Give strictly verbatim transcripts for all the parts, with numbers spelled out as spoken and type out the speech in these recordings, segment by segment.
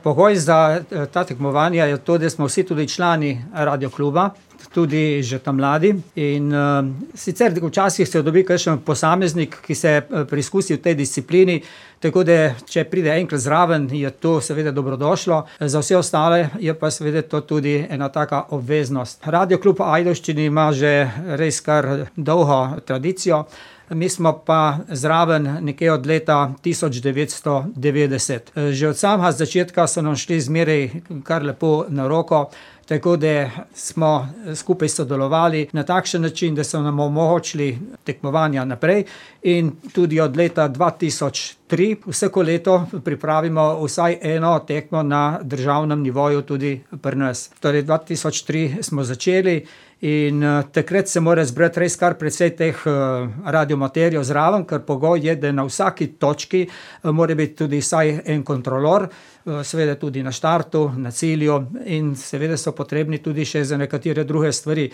Pogoj za ta tekmovanja je to, da smo vsi tudi člani radiokluba, tudi že tam mladi. In uh, sicer včasih se dobi kakšen posameznik, ki se preizkusi v tej disciplini, tako da če pride enkrat zraven, je to seveda dobrodošlo. Za vse ostale je pa seveda to tudi ena taka obveznost. Radioklub Ajdovščini ima že res kar dolgo tradicijo. Mi smo pa zraven nekje od leta tisoč devetsto devetdeset. Že od samega začetka so nam šli zmeraj kar lepo na roko, tako da smo skupaj sodelovali na takšen način, da so nam omogočili tekmovanja naprej, in tudi od leta dva tisoč tri vsako leto pripravimo vsaj eno tekmo na državnem nivoju tudi pri nas. Torej dva tisoč tri smo začeli in uh, takrat se mora zbrati res kar precej teh uh, radiomaterjev zraven, ker pogoj je, da na vsaki točki uh, mora biti tudi vsaj en kontrolor, uh, seveda tudi na štartu, na cilju, in seveda so potrebni tudi še za nekatere druge stvari,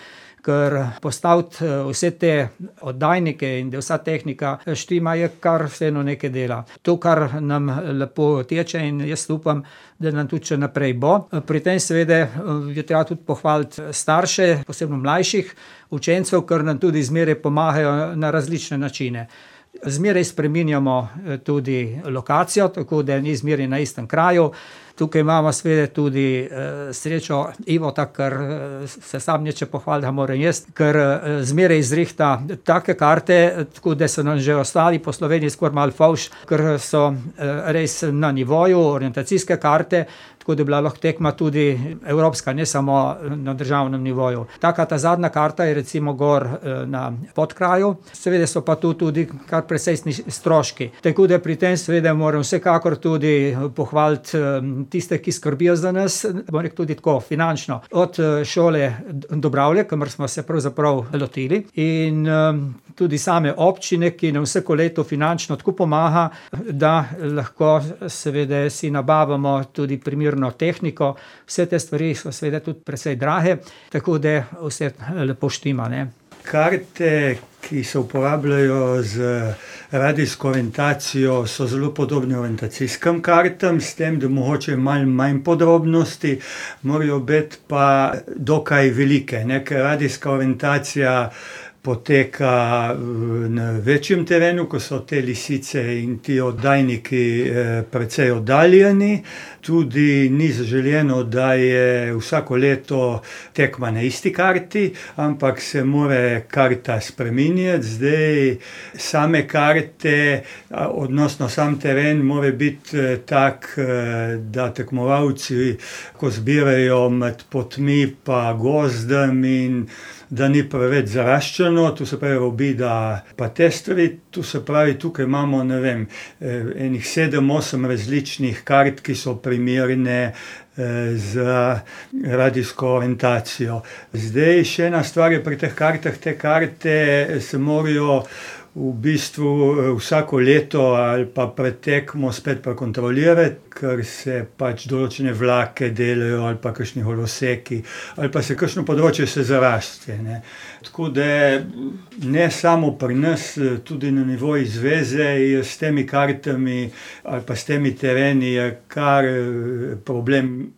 ker postaviti uh, vse te oddajnike in da vsa tehnika štima je kar vseeno nekaj dela. To, kar nam lepo teče, in jaz upam, da nam tudi še naprej bo. Pri tem seveda je treba tudi pohvaliti starše, posebno mlajših učencev, ker nam tudi zmeraj pomagajo na različne načine. Zmeraj spreminjamo tudi lokacijo, tako da ni zmeraj na istem kraju. Tukaj imamo seveda tudi uh, srečo Ivota, ker uh, se sam neče pohvali, da moram jaz, ker uh, zmeraj izrihta take karte, tako da so nam že ostali po Sloveniji skoraj malo favš, ker so uh, res na nivoju orientacijske karte, tako da je bila lahko tekma tudi evropska, ne samo na državnem nivoju. Taka ta zadnja karta je recimo gor uh, na Podkraju, seveda so pa tu tudi kar presejstni stroški. Tako da pri tem seveda moram vsekakor tudi pohvaliti um, tiste, ki skrbijo za nas, bom rekel tudi tako finančno, od šole Dobravlje, kamor smo se pravzaprav lotili, in um, tudi same občine, ki nam vsako leto finančno tako pomaga, da lahko seveda si nabavamo tudi primerno tehniko. Vse te stvari so seveda tudi precej drage, tako da vse lepo štima, ne. Karte, ki se uporabljajo z radijsko orientacijo, so zelo podobne orientacijskim kartam, s tem, da mogoče malo manj podrobnosti, morajo biti pa dokaj velike, ne, ker radijska orientacija poteka na večjem terenu, ko so te lisice in ti oddajniki precej oddaljeni. Tudi ni zaželjeno, da je vsako leto tekma na isti karti, ampak se mora karta spreminjati. Zdaj same karte, odnosno sam teren mora biti tak, da tekmovalci, ko zbirajo med potmi pa gozdem, in da ni preveč zaraščeno, tu se pravi robida pa te stvari, tu se pravi, tukaj imamo, ne vem, enih sedem, osem različnih kart, ki so primerne za radijsko orientacijo. Zdaj še ena stvar je pri teh kartah, te karte se morajo v bistvu vsako leto ali pa pred tekmo spet prekontrolirati, ker se pač določene vlake delajo ali pa kakšni holoseki, ali pa se kakšno področje se zaraste, ne. Tako da ne samo pri nas, tudi na nivoju zveze je s temi kartami ali pa s temi tereni je kar problem.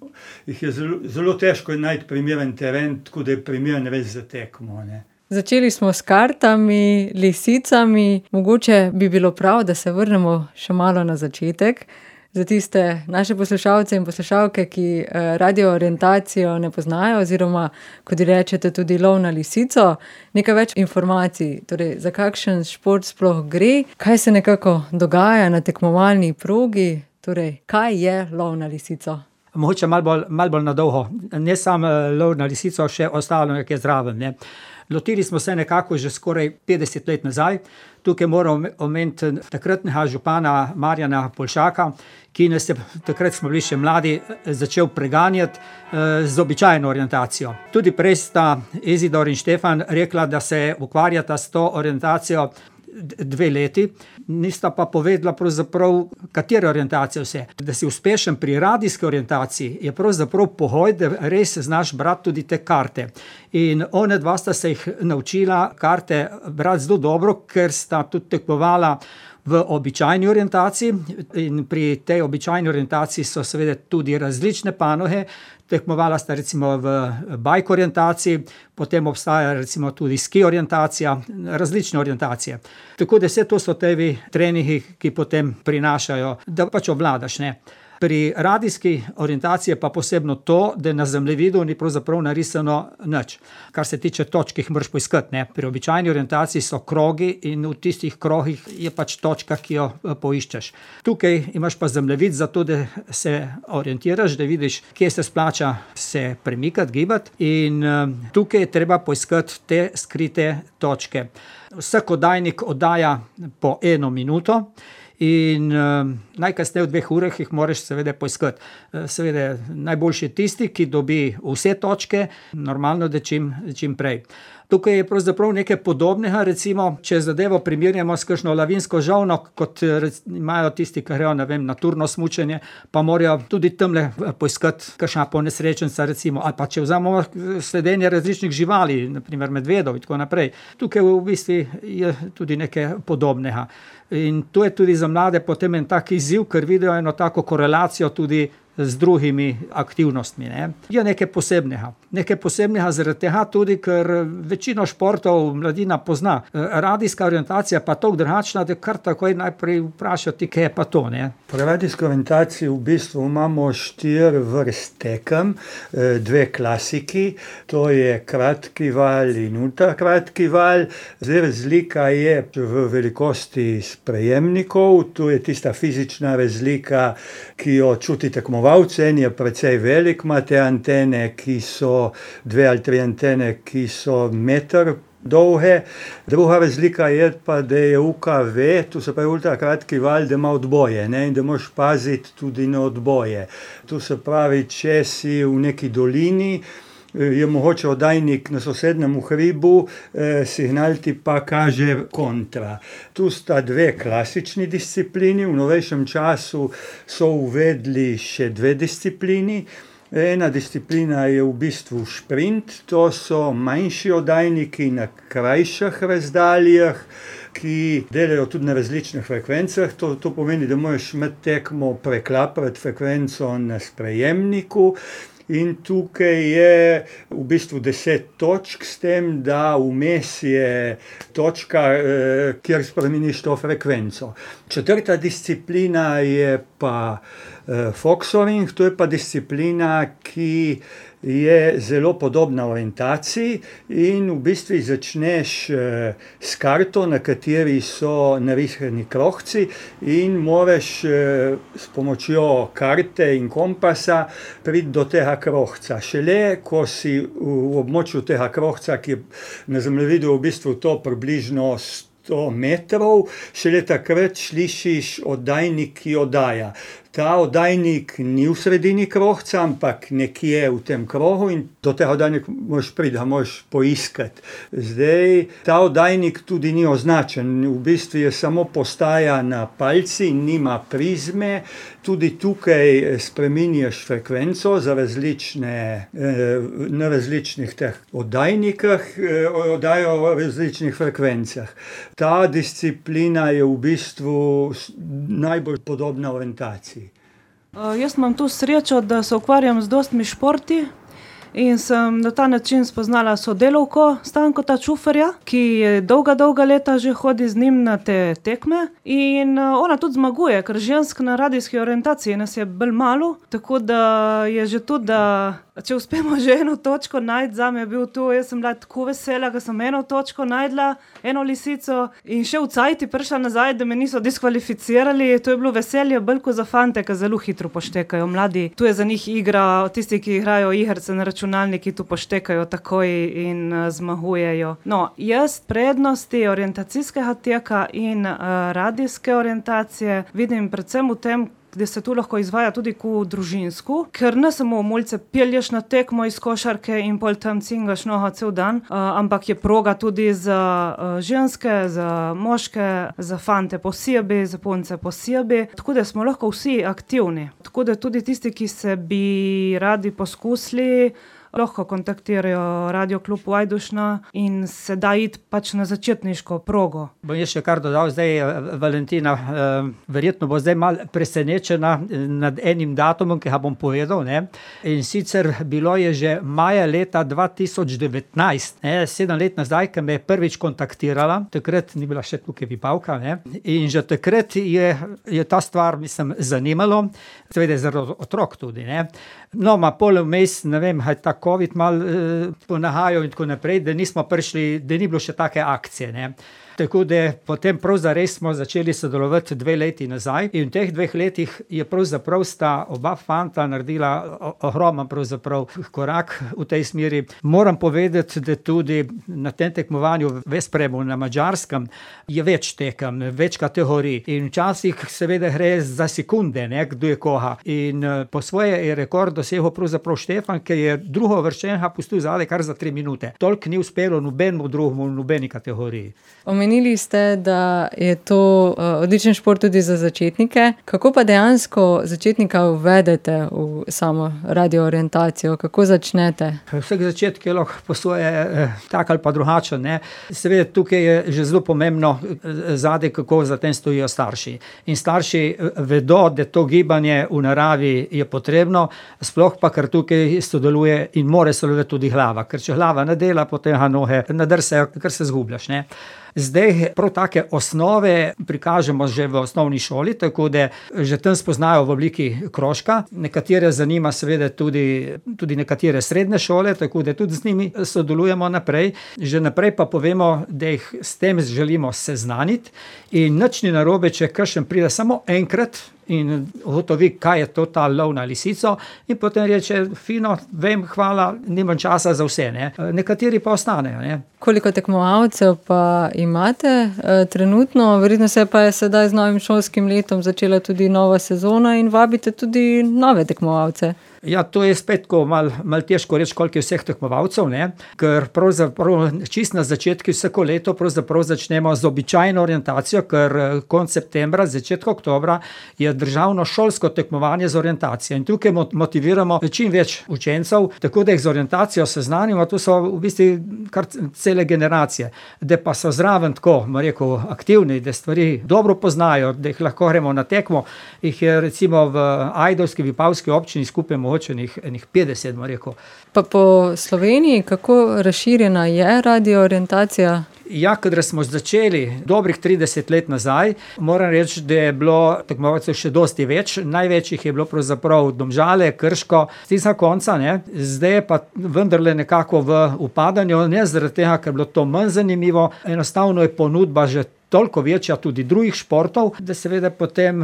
Jih je zelo, zelo težko najti primeren teren, tako da je primeren res za tekmo, ne. Začeli smo s kartami, lisicami, mogoče bi bilo prav, da se vrnemo še malo na začetek. Za tiste naše poslušalce in poslušalke, ki radio orientacijo ne poznajo, oziroma, kot rečete, tudi lov na lisico, nekaj več informacij, torej za kakšen šport sploh gre, kaj se nekako dogaja na tekmovalni progi, torej kaj je lov na lisico? Mogoče malo bolj, malo bolj na dolgo, ne samo lov na lisico, še ostalo nekaj zraven, ne. Lotili smo se nekako že skoraj petdeset let nazaj. Tukaj moram omeniti takratnega župana Marjana Poljšaka, ki nas je, takrat smo bili še mladi, začel preganjati eh, z običajno orientacijo. Tudi prej sta Izidor in Štefan rekla, da se ukvarjata s to orientacijo dve leti, nista pa povedala pravzaprav, katere orientacije vse. Da si uspešen pri radijski orientaciji je pravzaprav pogoj, da res znaš brati tudi te karte. In one dva sta se jih naučila karte brati zelo dobro, ker sta tudi tekmovala v običajni orientaciji in pri tej običajni orientaciji so seveda tudi različne panoge. Tekmovala sta recimo v bike orientaciji, potem obstaja recimo tudi ski orientacija, različne orientacije. Tako da vse to so tevi treningi, ki potem prinašajo, da pač obvladaš, ne. Pri radijski orientaciji je pa posebno to, da na zemljevidu ni pravzaprav narisano nič. Kar se tiče točk, jih moraš poiskati, ne. Pri običajni orientaciji so krogi in v tistih krogih je pač točka, ki jo poiščeš. Tukaj imaš pa zemljevid zato, da se orientiraš, da vidiš, kje se splača se premikati, gibati in tukaj je treba poiskati te skrite točke. Vsak oddajnik oddaja po eno minuto. In uh, najkasneje v dveh urah jih moraš seveda poiskati. Uh, seveda najboljši je tisti, ki dobi vse točke, normalno, da čim, čim prej. Tukaj je pravzaprav nekaj podobnega, recimo, če zadevo primerjamo s kakšno lavinsko žolno, kot imajo tisti, ki grejo, ne vem, na turno smučanje, pa morajo tudi tamle poiskati kakšna ponesrečenca, recimo, ali pa če vzamemo sledenje različnih živali, na primer medvedov in tako naprej. Tukaj v bistvu je tudi nekaj podobnega. In to je tudi za mlade potem en tak izziv, ker vidijo eno tako korelacijo tudi z drugimi aktivnostmi, ne. Je nekaj posebnega. Nekaj posebnega zaradi tega tudi, ker večino športov mladina pozna. Radijska orientacija pa toliko drugačna, da kar takoj najprej vprašati, kaj je pa to, ne. Pri radijski orientaciji v bistvu imamo štiri vrste tekem, dve klasiki, to je kratki val in ultrakratki val. Zdaj razlika je v velikosti sprejemnikov, tu je tista fizična razlika, ki jo čuti tekmovalec. En je precej velik, ima te antene, ki so dve ali tri antene, ki so meter dolge. Druga razlika je pa, da je U K V, tu se pravi ultrakratki val, da ima odboje, ne, in da moraš paziti tudi na odboje. Tu se pravi, če si v neki dolini, je mogoče oddajnik na sosednjem hribu, eh, signal ti pa kaže kontra. Tu sta dve klasični disciplini, v novejšem času so uvedli še dve disciplini. Ena disciplina je v bistvu šprint, to so manjši oddajniki na krajših razdaljah, ki delajo tudi na različnih frekvencah. To, to pomeni, da moraš med tekmo preklapati frekvenco na sprejemniku. In tukaj je v bistvu deset točk, s tem, da vmes je točka, eh, kjer spremeniš to frekvenco. Četrta disciplina je pa eh, foxoring, to je pa disciplina, ki je zelo podobna orientaciji in v bistvu začneš eh, s karto, na kateri so narisani krohci in moraš eh, s pomočjo karte in kompasa priti do tega krohca. Šele, ko si v, v območju tega krohca, ki je na zemljevidu v bistvu to približno sto metrov, šele takrat slišiš oddajnik, ki oddaja. Ta oddajnik ni v sredini krohca, ampak nekje v tem krogu in do tega oddajnika moraš priti, ga moraš poiskati. Zdaj, ta oddajnik tudi ni označen, v bistvu je samo postaja na palci, nima prizme. Tudi tukaj spreminjaš frekvenco za različne, na različnih teh oddajnikah, oddajo v različnih frekvencah. Ta disciplina je v bistvu najbolj podobna orientaciji. Uh, jaz imam tu srečo, da se ukvarjam z dostmi športi in sem na ta način spoznala sodelavko Stankota Čuferja, ki je dolga, dolga leta že hodi z njim na te tekme in uh, ona tudi zmaguje, ker žensk na radijski orientaciji nas je bolj malo, tako da je že tudi, da če uspemo že eno točko najti, zame je bil tu, jaz sem bila tako vesela, da sem eno točko najdla, eno lisico in še v cajti prišla nazaj, da me niso diskvalificirali. To je bilo veselje bolj kot za fante, ki zelo hitro poštekajo, mladi. Tu je za njih igra, tisti, ki igrajo igrice na računalniki, tu poštekajo takoj in uh, zmagujejo. No, jaz prednosti orientacijskega teka in uh, radijske orientacije vidim predvsem v tem, da se tu lahko izvaja tudi ko družinsko, ker ne samo mulce pelješ na tekmo iz košarke in pol tam cingaš noga cel dan, uh, ampak je proga tudi za uh, ženske, za moške, za fante posebej, za punce posebej, tako da smo lahko vsi aktivni. Tako da tudi tisti, ki se bi radi poskusili, lahko kontaktirajo Radio klub Vajdušna in se da iti pač na začetniško progo. Bom jaz še kar dodal, zdaj Valentina, verjetno bo zdaj malo presenečena nad enim datumom, ki ga bom povedal, ne. In sicer bilo je že maja leta dva tisoč devetnajst, ne, sedem let nazaj, ki me je prvič kontaktirala, takrat ni bila še tukaj Vipavka, ne. In že takrat je, je ta stvar, mislim, zanimalo, seveda zaradi otrok tudi, ne. No, ma pol vmes, ne vem, je ta covid mal eh, ponahajal in tako naprej, da nismo prišli, da ni bilo še take akcije, ne. Tako da potem prav zares smo začeli sodelovati dve leti nazaj in v teh dveh letih je pravzaprav sta oba fanta naredila ogromen pravzaprav korak v tej smeri. Moram povedati, da tudi na tem tekmovanju v Vespremu na Madžarskem je več tekem, več kategorij in včasih seveda gre za sekunde, ne, kdo je koga. In po svoje je rekord dosegel pravzaprav Štefan, ki je drugo vrščenega pustil zadaj kar za tri minute. Toliko ni uspelo nobenemu drugemu v nobeni kategoriji. Omenili ste, da je to uh, odličen šport tudi za začetnike. Kako pa dejansko začetnika uvedete v samo radioorientacijo? Kako začnete? Vsak začetek je lahko po svoje eh, tak ali pa drugačen, ne. Seveda tukaj je že zelo pomembno eh, zadaj, kako za tem stojijo starši. In starši vedo, da to gibanje v naravi je potrebno, sploh pa, ker tukaj sodeluje in more sodelovati tudi glava. Ker če glava ne dela, potem ga noge nadrsajo, ker se zgubljaš, ne. Zdaj prav take osnove prikažemo že v osnovni šoli, tako da že tam spoznajo v obliki krožka. Nekatere zanima seveda tudi, tudi nekatere srednje šole, tako da tudi z njimi sodelujemo naprej. Že naprej pa povemo, da jih s tem želimo seznaniti in nič ni narobe, če kakšen pride samo enkrat in ugotovi, kaj je to ta lov na lisico in potem reče, fino, vem, hvala, nimam časa za vse, ne. Nekateri pa ostanejo, ne. Koliko tekmovalcev pa imate e, trenutno? Verjetno se pa je sedaj z novim šolskim letom začela tudi nova sezona in vabite tudi nove tekmovalce. Ja, to je spet tako malo mal težko reči, koliko je vseh tekmovalcev, ne, ker pravzaprav čisto na začetku vsako leto pravzaprav začnemo z običajno orientacijo, ker konec septembra, začetek oktobra je državno šolsko tekmovanje z orientacijo in tukaj motiviramo čim več učencev, tako da jih z orientacijo seznanimo, to so v bistvu kar cele generacije, da pa so zraven tako, bom rekel, aktivni, da stvari dobro poznajo, da jih lahko gremo na tekmo, jih je recimo v ajdovski, vipavski občini skupaj mogoče enih petdeset, bom rekel. Pa po Sloveniji, kako razširjena je radioorientacija? Ja, kadar smo začeli dobrih trideset let nazaj, moram reči, da je bilo tekmovalcev še dosti več. Največ jih je bilo pravzaprav Domžale, Krško, s tistega konca, ne. Zdaj je pa vendarle nekako v upadanju, ne zaradi tega, ker je bilo to manj zanimivo, enostavno je ponudba že toliko večja tudi drugih športov, da seveda potem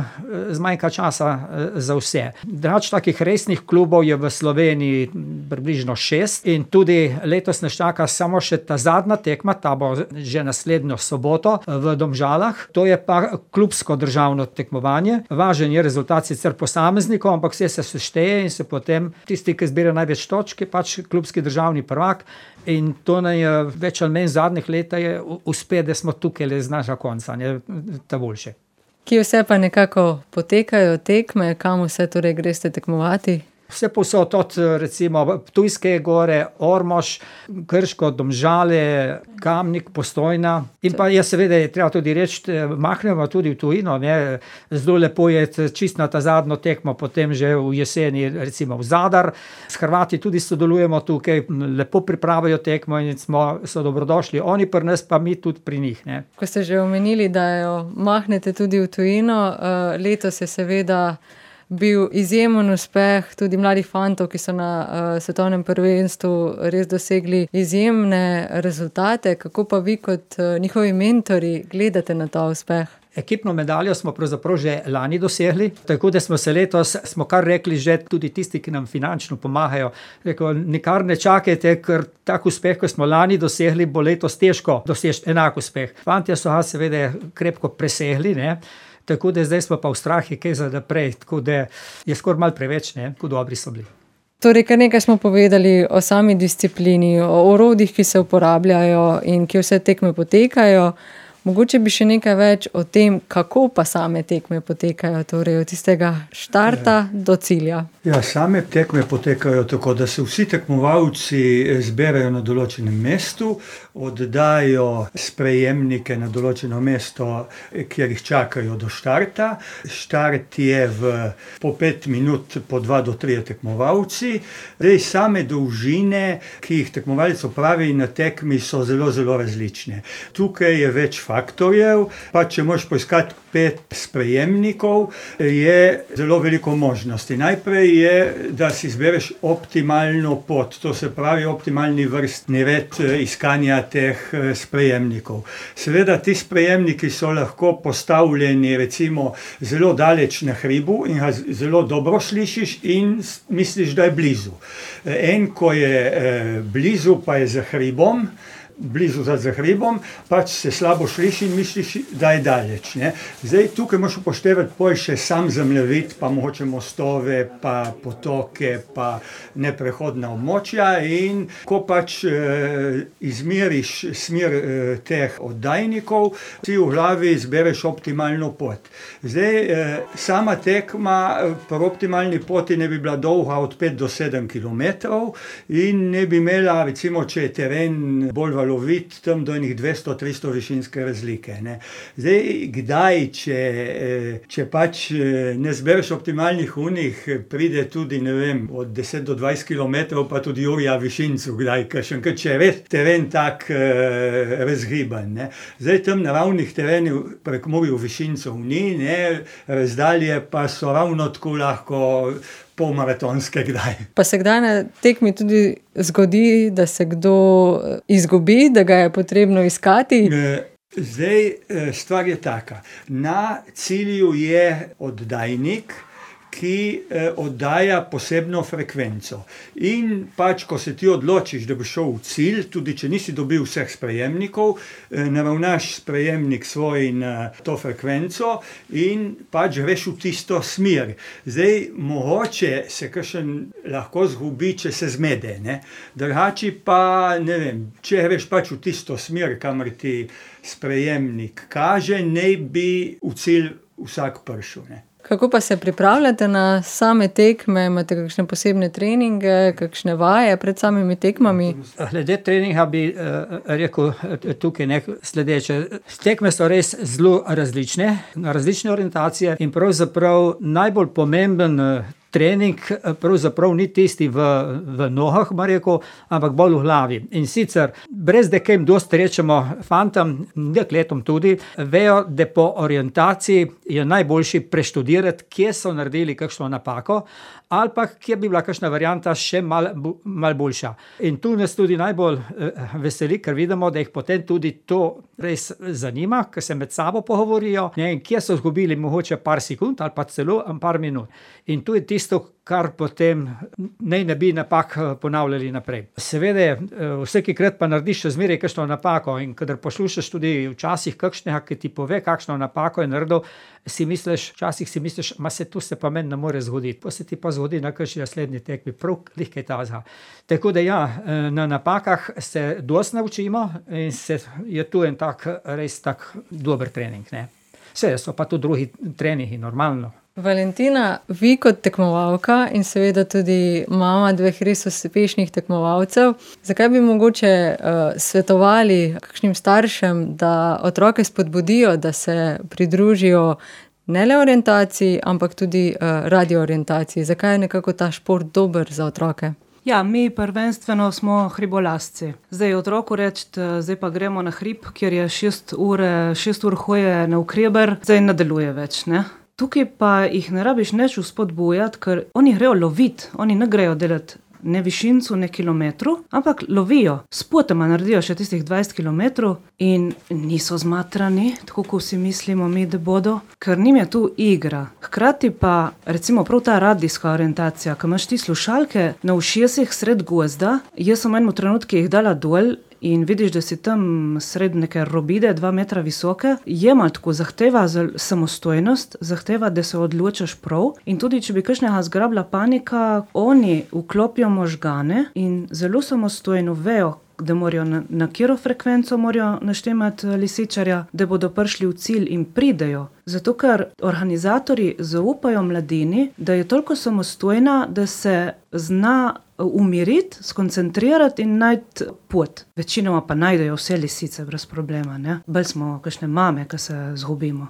zmanjka časa za vse. Drugače takih resnih klubov je v Sloveniji približno šest in tudi letos nas čaka samo še ta zadnja tekma, ta bo že naslednjo soboto v Domžalah. To je pa klubsko državno tekmovanje. Važen je rezultat sicer posameznikov, ampak vse se sešteje in se potem tisti, ki zbira največ točk, je pač klubski državni prvak. In to nam je več ali manj zadnjih leta je uspe, da smo tukaj le z našega konca, ne, ta boljše. Kje vse pa nekako potekajo tekme, kam vse torej greste tekmovati? Vse povsod od recimo Ptujske gore, Ormož, Krško, Domžale, Kamnik, Postojna. In pa je seveda je treba tudi reči, mahnemo tudi v tujino, ne. Zelo lepo je čisto na ta zadnjo tekmo, potem že v jeseni recimo v Zadar. S Hrvati tudi sodelujemo tukaj, lepo pripravijo tekmo in smo, so dobrodošli. Oni pri nas, pa mi tudi pri njih, ne. Ko ste že omenili, da jo mahnete tudi v tujino, letos je seveda bil izjemen uspeh tudi mladih fantov, ki so na uh, svetovnem prvenstvu res dosegli izjemne rezultate. Kako pa vi kot uh, njihovi mentori gledate na ta uspeh? Ekipno medaljo smo pravzaprav že lani dosegli, tako da smo se letos, smo kar rekli že tudi tisti, ki nam finančno pomagajo, rekel, nikar ne čakajte, ker tak uspeh, ko smo lani dosegli, bo letos težko doseči enak uspeh. Fantje so ga seveda krepko presegli, ne. Tako da zdaj smo pa v strahi kaj za naprej, tako da je skoraj malo preveč, ne, kako dobri so bili. Torej, kar nekaj smo povedali o sami disciplini, o orodjih, ki se uporabljajo in ki vse tekme potekajo. Mogoče bi še nekaj več o tem, kako pa same tekme potekajo, torej od tistega štarta ja. do cilja. Ja, same tekme potekajo tako, da se vsi tekmovalci zberajo na določenem mestu, oddajo sprejemnike na določeno mesto, kjer jih čakajo do štarta. Štart je v, po pet minut po dva do tri tekmovalci. Zdaj, same dolžine, ki jih tekmovalec opravi na tekmi, so zelo, zelo različne. Tukaj je več faktorjev, pa če moraš poiskati pet sprejemnikov, je zelo veliko možnosti. Najprej je, da si izbereš optimalno pot, to se pravi optimalni vrstni red iskanja teh sprejemnikov. Seveda, ti sprejemniki so lahko postavljeni recimo zelo daleč na hribu in ga zelo dobro slišiš in misliš, da je blizu. En, ko je blizu, pa je za hribom, blizu za hribom, pač se slabo sliši in misliš, da je daleč. Ne? Zdaj, tukaj moraš upoštevati pol še sam zemljevid, pa mogoče mostove, pa potoke, pa neprehodna območja in ko pač eh, izmeriš smer eh, teh oddajnikov, ti v glavi izbereš optimalno pot. Zdaj, eh, sama tekma pri optimalni poti ne bi bila dolga od pet do sedem kilometrov in ne bi imela, recimo, če je teren bolj lovit tam do enih dvesto do tristo višinske razlike. Ne. Zdaj, kdaj, če, če pač ne zbereš optimalnih unih, pride tudi, ne vem, od deset do dvajset kilometrov, pa tudi Jurija Višincu, kdaj, kakšen, če je res teren tak eh, razgiban. Ne. Zdaj, tam naravnih terenov prek Murju Višincov ni, ne, razdalje pa so ravno tako lahko polmaratonske kdaj. Pa se kdaj na tekmi tudi zgodi, da se kdo izgubi, da ga je potrebno iskati? Zdaj, stvar je taka. Na cilju je oddajnik, ki oddaja posebno frekvenco. In pač, ko se ti odločiš, da bi šel v cilj, tudi če nisi dobil vseh sprejemnikov, naravnaš sprejemnik svoj na to frekvenco in pač greš v tisto smer. Zdaj, mogoče se kakšen lahko zgubi, če se zmede, ne? Drugače pa, ne vem, če greš pač v tisto smer, kamor ti sprejemnik kaže, ne bi v cilj vsak prišel, ne. Kako pa se pripravljate na same tekme? Imate kakšne posebne treninge, kakšne vaje pred samimi tekmami? Glede treninga bi uh, rekel tukaj nekaj sledeče. Tekme so res zelo različne, različne orientacije in pravzaprav najbolj pomemben uh, trening pravzaprav ni tisti v, v nogah, ma rekel, ampak bolj v glavi. In sicer, brez da kaj dosti rečemo fantom, dekletom tudi, vejo, da po orientaciji je najboljši preštudirati, kje so naredili kakšno napako, ali pa kje bi bila kakšna varianta še mal, mal boljša. In tu nas tudi najbolj eh, veseli, ker vidimo, da jih potem tudi to res zanima, ker se med sabo pogovorijo, ne, in kje so zgubili mogoče par sekund ali pa celo par minut. In tu je tisto, kar potem naj ne bi napak ponavljali naprej. Seveda, vsakokrat pa narediš še zmeraj kakšno napako in kadar poslušaš tudi včasih kakšnega, ki ti pove, kakšno napako je naredil, si misliš, včasih si misliš, ma se tu se pa meni ne more zgoditi. Pa se ti pa zgodi na kakšni naslednji tekmi, prav lihkaj tazga. Tako da ja, na napakah se dosti naučimo in se je tu en tak, res tak dober trening, ne. Vse so pa tu drugi treningi, normalno. Valentina, vi kot tekmovalka in seveda tudi mama dveh res uspešnih tekmovalcev, zakaj bi mogoče uh, svetovali kakšnim staršem, da otroke spodbudijo, da se pridružijo ne le orientaciji, ampak tudi uh, radioorientaciji? Zakaj je nekako ta šport dober za otroke? Ja, mi prvenstveno smo hribolasci. Zdaj otroku reči, zdaj pa gremo na hrib, kjer je šest ur, šest ur hoje na ukreber, zdaj ne deluje več, ne? Tukaj pa jih ne rabiš neč vzpodbujati, ker oni grejo loviti, oni ne grejo delati ne višincu, ne kilometru, ampak lovijo. Spotoma naredijo še tistih dvajset kilometrov in niso zmatrani, tako kot si mislimo mi, da bodo, ker njim je tu igra. Hkrati pa, recimo prav ta radijska orientacija, ko imaš ti slušalke na ušesih sred gozda, jaz sem v enem trenutku jih dala dol in vidiš, da si tam sred neke robide, dva metra visoke, je malo tako, zahteva samostojnost, zahteva, da se odločaš prav in tudi, če bi kakšnega zgrabila panika, oni vklopijo možgane in zelo samostojno vejo, da morajo na, na katero frekvenco morajo naštemati lisičarja, da bodo prišli v cilj in pridejo. Zato, ker organizatorji zaupajo mladini, da je toliko samostojna, da se zna umiriti, skoncentrirati in najti pot. Večinoma pa najdejo vse lisice brez problema, ne? Bolj smo kakšne mame, ki se zgubimo.